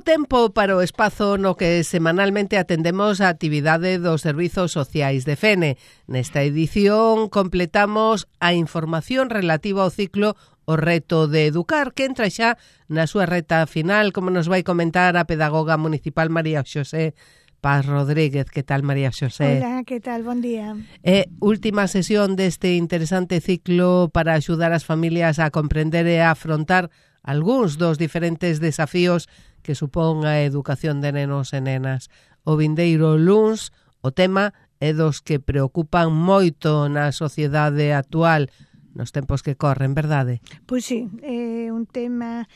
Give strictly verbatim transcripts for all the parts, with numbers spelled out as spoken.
Chegou tempo para o espazo no que semanalmente atendemos a actividade dos servizos sociais de Fene. Nesta edición completamos a información relativa ao ciclo O reto de educar, que entra xa na súa reta final, como nos vai comentar a pedagoga municipal María Xosé Paz Rodríguez. Que tal, María Xosé? Hola, que tal? Bon día. É última sesión deste interesante ciclo para axudar as familias a comprender e a afrontar algúns dos diferentes desafíos que supón a educación de nenos e nenas. O vindeiro luns, o tema é dos que preocupan moito na sociedade actual, nos tempos que corren, verdade? Pois sí, é un tema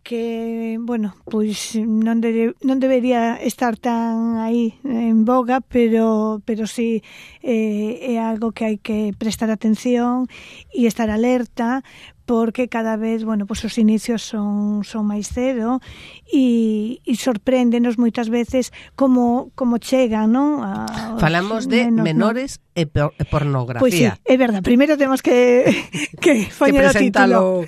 que, bueno, pois non, de, non debería estar tan aí en boga, pero pero sí eh, é algo que hai que prestar atención e estar alerta, porque cada vez, bueno, pues os inicios son son máis cedo e, e sorpréndenos moitas veces como como chegan, non? A, Falamos de menos, menores ¿no? e, por, e pornografía. Pois sí, é verdade. Primeiro temos que que poñer o título.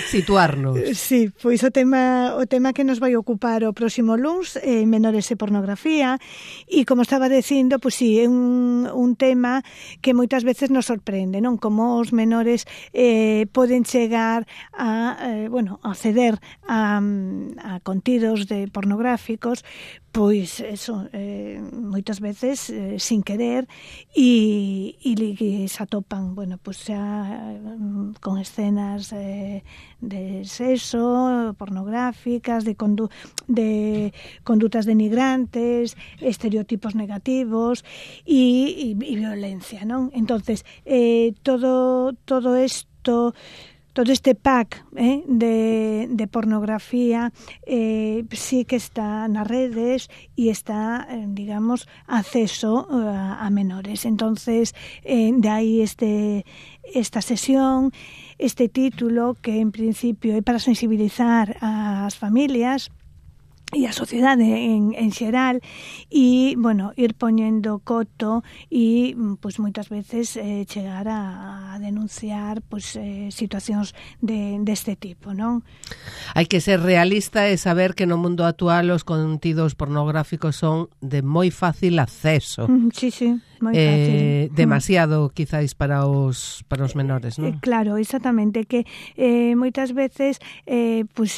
Situarnos. Sí, pois o tema o tema que nos vai ocupar o próximo luns, eh, menores e pornografía, e como estaba dicindo, pois sí, é un, un tema que moitas veces nos sorprende, non? Como os menores eh, poden chegar a, eh, bueno, a acceder a, a contidos de pornográficos, pois eso, eh, moitas veces eh, sin querer, e, e, e se atopan, bueno, pois xa con escenas eh, de sexo, pornográficas, de, condu de condutas denigrantes, estereotipos negativos e, e, e violencia, non? Entonces, eh, todo todo isto, todo este pack eh, de, de pornografía eh, sí que está nas redes e está, eh, digamos, acceso a, a menores. Entonces, eh, de aí este, esta sesión, este título que en principio é para sensibilizar ás familias e a sociedade en, en xeral, e, bueno, ir poñendo coto e, pois, moitas veces eh, chegar a, a denunciar, pois, eh, situacións de, deste tipo, non? Hai que ser realista e saber que no mundo actual os contidos pornográficos son de moi fácil acceso. Mm, sí, sí, moi eh, fácil. Demasiado, mm. quizáis, para os, para os menores, non? Eh, claro, exactamente, que eh, moitas veces eh, pois,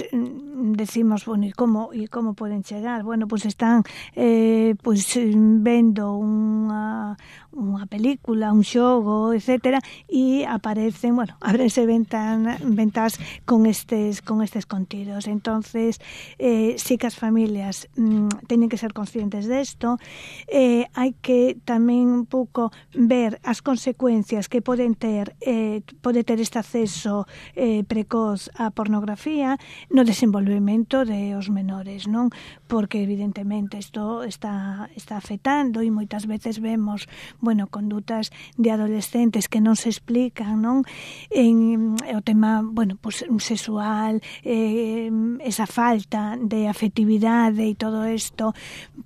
decimos, bueno, e como, e como como poden chegar? Bueno, pois están eh, pois vendo unha, unha película, un xogo, etcétera, e aparecen, bueno, abrense ventan, ventas con estes con estes contidos. Entonces, eh, sí que as familias mm, teñen que ser conscientes desto. Eh, hai que tamén un pouco ver as consecuencias que poden ter eh, pode ter este acceso eh, precoz á pornografía no desenvolvemento de os menores, non? Porque evidentemente isto está está afectando e moitas veces vemos, bueno, condutas de adolescentes que non se explican, non? En o tema, bueno, pues sexual, eh, esa falta de afectividade e todo isto,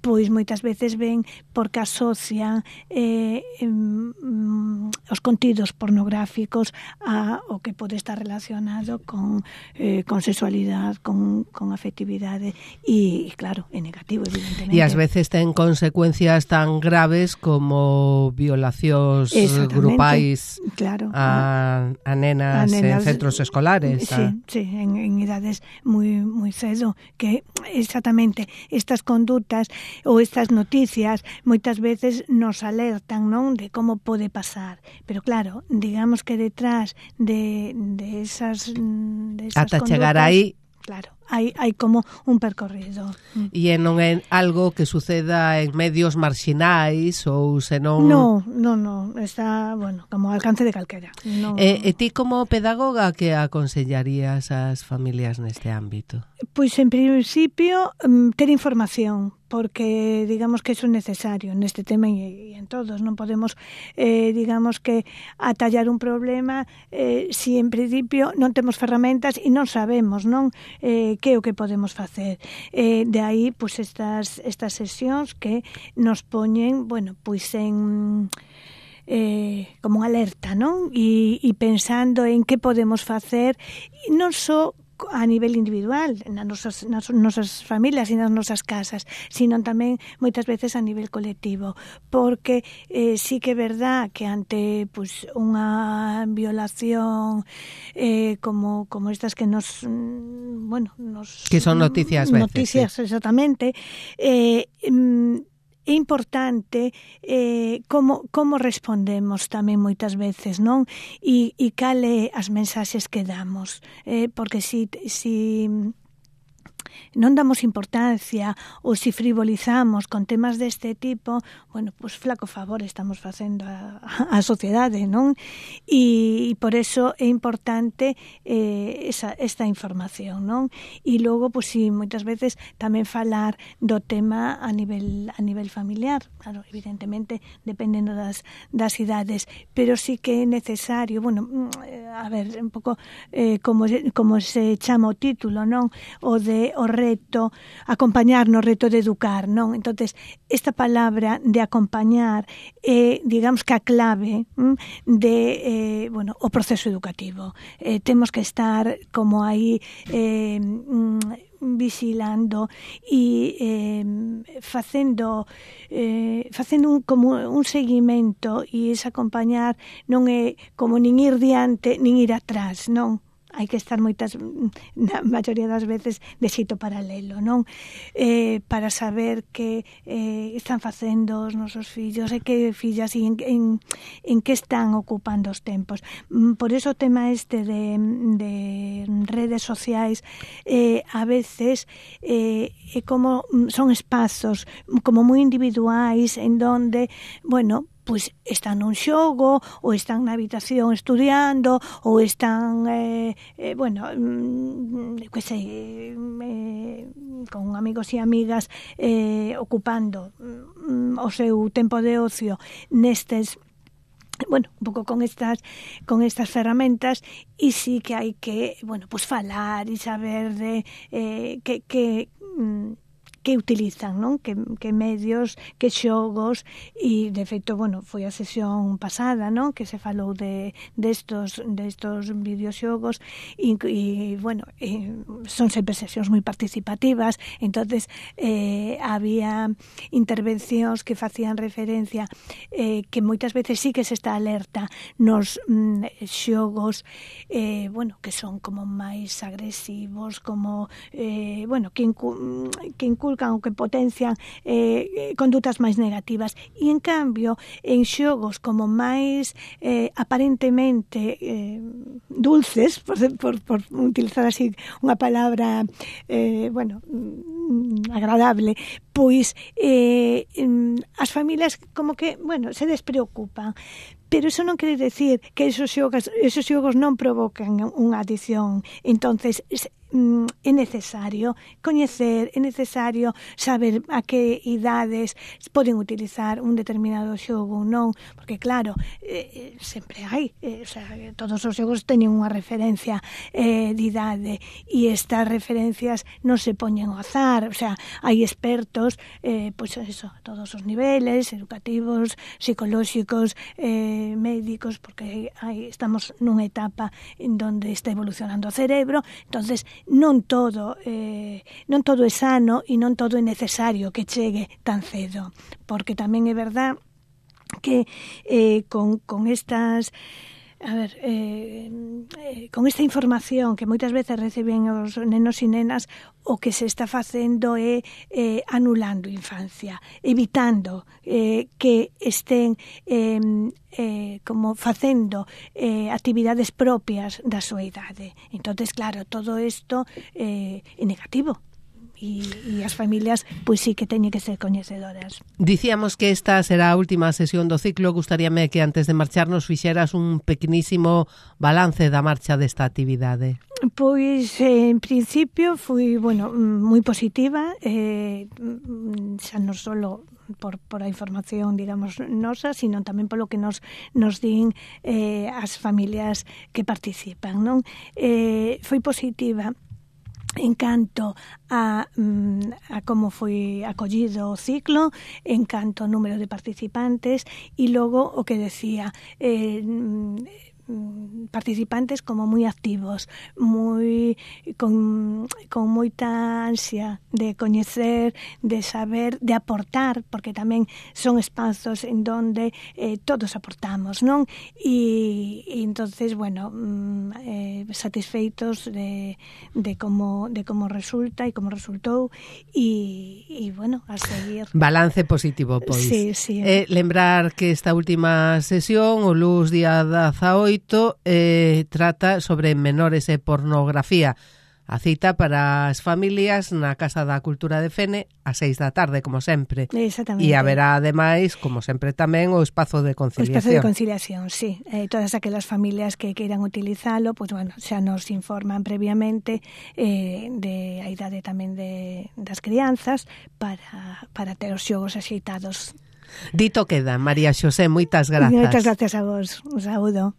pois moitas veces ven porque asocian eh, um, os contidos pornográficos a o que pode estar relacionado con eh, con sexualidade, con con afectividade. E, claro, é negativo, evidentemente. E ás veces ten consecuencias tan graves como violacións grupais, claro, a, a, nenas, a nenas en centros escolares. Sí, a... sí, en, en idades moi moi cedo, que exactamente estas condutas ou estas noticias moitas veces nos alertan, non, de como pode pasar. Pero claro, digamos que detrás de, de esas, de esas ata condutas, chegar aí, claro, hai, hai como un percorrido. E non é algo que suceda en medios marxinais ou senón... No, no, no, está, bueno, como ao alcance de calquera. No. E, e ti como pedagoga que aconsellarías ás familias neste ámbito? Pois en principio ter información, porque digamos que eso é necesario neste tema e, e en todos. Non podemos, eh, digamos que atallar un problema eh, si en principio non temos ferramentas e non sabemos, non, eh, que é o que podemos facer. Eh, de aí, pois, estas, estas sesións que nos poñen, bueno, pois en... Eh, como alerta, non? E, e pensando en que podemos facer, non só a nivel individual nas nosas, nas nosas familias e nas nosas casas, sino tamén moitas veces a nivel colectivo, porque eh, sí que é verdad que ante pues, unha violación eh, como, como estas que nos bueno, nos que son noticias veces, noticias sí. Exactamente eh, é importante eh, como, como respondemos tamén moitas veces, non? E, e cale as mensaxes que damos. Eh, porque si, si non damos importancia ou si frivolizamos con temas deste tipo, bueno, pois flaco favor estamos facendo a, a sociedade, non? E, e por eso é importante eh, esa, esta información, non? E logo, pois si, moitas veces tamén falar do tema a nivel a nivel familiar, claro, evidentemente dependendo das, das idades, pero sí que é necesario, bueno, a ver, un pouco eh, como, como se chama o título, non? O de o reto, acompañar no reto de educar, non? Entonces, esta palabra de acompañar é, eh, digamos que a clave hm, de, eh, bueno, o proceso educativo. Eh, temos que estar como aí eh, vigilando e eh, facendo eh, facendo un, como un seguimento, e ese acompañar non é como nin ir diante nin ir atrás, non? Hai que estar moitas, na maioría das veces, de xeito paralelo, non? Eh, para saber que eh, están facendo os nosos fillos e que fillas e en, en, en que están ocupando os tempos. Por eso o tema este de, de redes sociais eh, a veces eh, é como son espazos como moi individuais en donde, bueno, pois están nun xogo, ou están na habitación estudiando, ou están, eh, eh, bueno, mm, que sei, eh, con amigos e amigas eh, ocupando mm, o seu tempo de ocio nestes, bueno, un pouco con estas con estas ferramentas, e sí que hai que, bueno, pues falar e saber de eh, que que mm, que utilizan, non? Que, que medios, que xogos, e de feito, bueno, foi a sesión pasada, non? Que se falou de destos de estos videoxogos e, e bueno, e son sempre sesións moi participativas, entonces eh, había intervencións que facían referencia eh, que moitas veces sí que se está alerta nos mm, xogos eh, bueno, que son como máis agresivos, como eh, bueno, que, incu que inculcan ou que potencian eh, condutas máis negativas, e en cambio en xogos como máis eh, aparentemente eh, dulces, por, por, por utilizar así unha palabra eh, bueno, agradable, pois eh, as familias como que, bueno, se despreocupan. Pero eso non quere decir que esos xogos, esos xogos non provocan unha adición. Entonces, é necesario coñecer, é necesario saber a que idades poden utilizar un determinado xogo ou non, porque claro, eh, sempre hai, eh, o sea, todos os xogos teñen unha referencia eh, de idade, e estas referencias non se poñen ao azar, o sea, hai expertos, eh, pois pues eso, a todos os niveles, educativos, psicolóxicos, eh, médicos, porque hai, estamos nunha etapa en donde está evolucionando o cerebro, entonces non todo eh, non todo é sano e non todo é necesario que chegue tan cedo, porque tamén é verdad que eh, con, con estas a ver, eh, eh, con esta información que moitas veces reciben os nenos e nenas, o que se está facendo é eh, anulando infancia, evitando eh, que estén eh, eh, como facendo eh, actividades propias da súa idade. Entonces, claro, todo isto eh, é negativo. E, e as familias pois sí que teñen que ser coñecedoras. Dicíamos que esta será a última sesión do ciclo. Gustaríame que antes de marcharnos fixeras un pequenísimo balance da marcha desta actividade. Pois, en principio, fui, bueno, moi positiva, eh, xa non solo por, por a información, digamos, nosa, sino tamén polo que nos, nos din eh, as familias que participan, non? Eh, foi positiva en canto a, a como foi acollido o ciclo, en canto ao número de participantes, e logo o que decía, eh, participantes como moi activos, moi con, con moita ansia de coñecer, de saber, de aportar, porque tamén son espazos en donde eh, todos aportamos, non? E, e entonces, bueno, eh, satisfeitos de, de como de como resulta e como resultou e, e bueno, a seguir. Balance positivo, pois. Sí, sí. Eh, lembrar que esta última sesión, o luns día dezaoito, eh, trata sobre menores e pornografía. A cita para as familias na Casa da Cultura de Fene a seis da tarde, como sempre. Exactamente. E haberá, ademais, como sempre tamén, o espazo de conciliación. O espazo de conciliación, sí. Eh, todas aquelas familias que queiran utilizalo, pues bueno, xa nos informan previamente eh, de a idade tamén de, das crianzas para, para ter os xogos axeitados. Dito queda, María Xosé, moitas grazas. Moitas grazas a vos. Un saúdo.